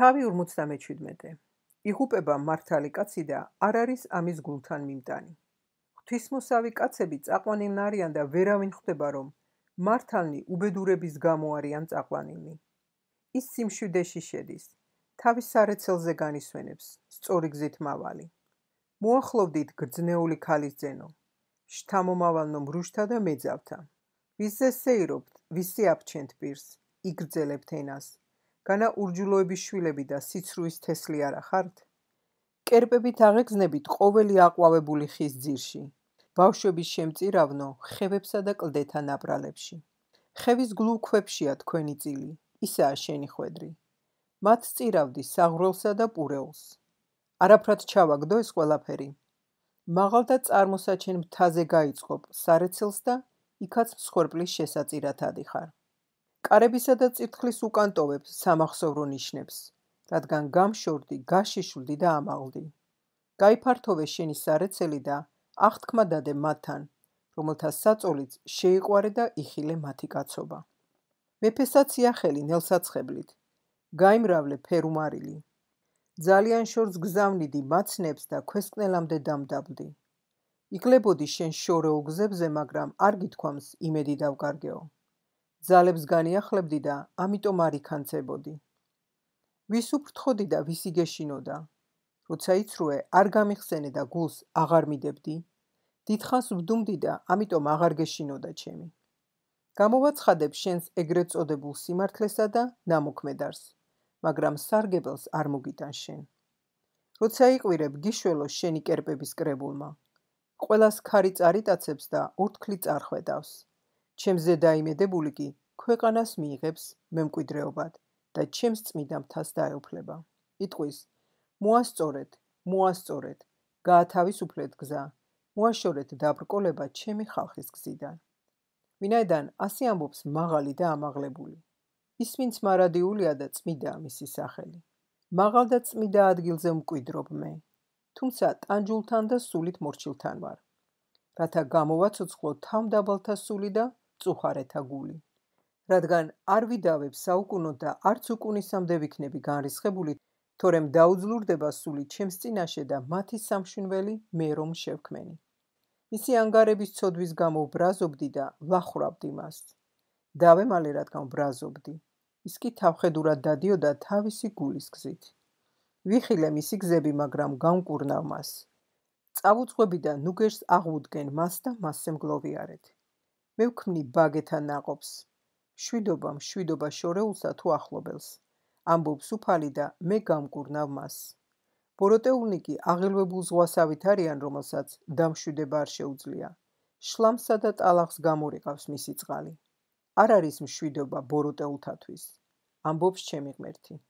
თავი 57. იღუპება მართალი კაცი და არ არის ამის გულთან მიმტანი. ღვთისმოსავი კაცები წაყვანილნი არიან და ვერავინ ხვდება, რომ მართალნი უბედურების გამო არიან წაყვანილნი. ის სიმშვიდეში შედის, თავის სარეცელზე განისვენებს, სწორი გზით მავალი. მოახლოვდით გრძნეული ქალის ძენო, შთამომავალნო მრუშთა და მეძავთა. ვისზე სეირობთ, ვისი აფჩენთ პირს, იგრძელებთ ენას. განა ურჯულოების შვილები და სიცრუის თესლი არა ხართ? კერპებით აღეგზნებით ყოველი აყვავებული ხის ძირში, ბავშვების შემწირავნო ხევებსა და კლდეთა ნაპრალებში. ხევის გლუქვებშია თქვენი წილი, ისაა შენი ხვედრი. მათ წირავდი საღვრელსა და პურეულს. არაფრად ჩავაგდო ეს ყველაფერი. მაღალ და წარმოსაჩენ მთაზე გაიწყობ სარეცელს და იქაც მსხვერპლის შესაწირად ადიხარ. კარებისა და წირთხლის უკან ტოვებ სამახსოვრო ნიშნებს, რადგან გამშორდი, გაშიშვლდი და ამაღლდი. გაიფართოვე შენი სარეცელი და აღთქმა დადე მათთან, რომელთა საწოლიც შეიყვარე და იხილე მათი კაცობა. მეფესაც იახელი ნელსაცხებლით, გაიმრავლე ფერუმარილი. ძალიან შორს გზავნიდი მაცნებს და ქვესკნელამდე დამდაბლდი. იგლებოდი შენ შორეულ გზებზე, მაგრამ არ გითქვამს იმედი დავკარგეო. ძალებს განიახლებდი და ამიტომ არ იქანცებოდი. ვის უფრთხოდი და ვის იგეშინოდა? როცა იცრუე, არ გამიხსენე და გულს აღარ მიდებდი? დიდხანს ვდუმდი და ამიტომ აღარ გეშინოდა ჩემი. გამოვაცხადებ შენს ეგრეთ წოდებულ სიმართლესა და ნამოქმედარს, მაგრამ სარგებელს არ მოგიტან შენ. როცა იყვირებ, გიშველო შენი კერპების კრებულმა. ყველას ქარი წარიტაცებს და ორთქლი წარხვედავს. ჩემზე დაიმედებული კი ქვეყანას მიიღებს მემკვიდრეობად და ჩემს წმიდა მთას დაეუფლება. იტყვის, მოასწორეთ, გაათავისუფლეთ გზა, მოაშორეთ დაბრკოლება ჩემი ხალხის გზიდან. ვინაიდან ასე ამბობს მაღალი და ამაღლებული. ის ვინც მარადიულია და წმიდაა მისი სახელი. მაღალ და წმიდა ადგილზე მკვიდრობ მე, თუმცა ტანჯულთან და სულით მორჩილთან ვარ, რათა გამოვაცოცხლო თავმდაბალთა სული და წუხარეთა გული. რადგან არ ვიდავებ საუკუნოდ და არც უკუნისამდე ვიქნები განრისხებული, თორემ დაუძლურდება სული ჩემს წინაშე და მათი სამშვენველი მე რომ შევქმენი. მისი ანგარების ცოდვის გამო ვბრაზობდი და ვლახურავდი მას. დავემალე, რადგან ვბრაზობდი. ის კი თავხედურად დადიოდა თავისი გულის გზით. ვიხილე მისი გზები, მაგრამ გამკურნავ მას. წავუძღვები და ნუგერს აღვუდგენ მას და მასზე მგლოვიარეთ. მე ვქმნი ბაგეთა ნაყოფს. მშვიდობა შორეულსა თუ ახლობელს. ამბობს უფალი და მე გამკურნავ მას. ბოროტეულნი კი აღელვებულ ზღვასავით არიან, რომელსაც დამშვიდება არ შეუძლია. შლამსა და ტალახს გამორიყავს მისი წყალი. არ არის მშვიდობა ბოროტეულთათვის. ამბობს ჩემი ღმერთი.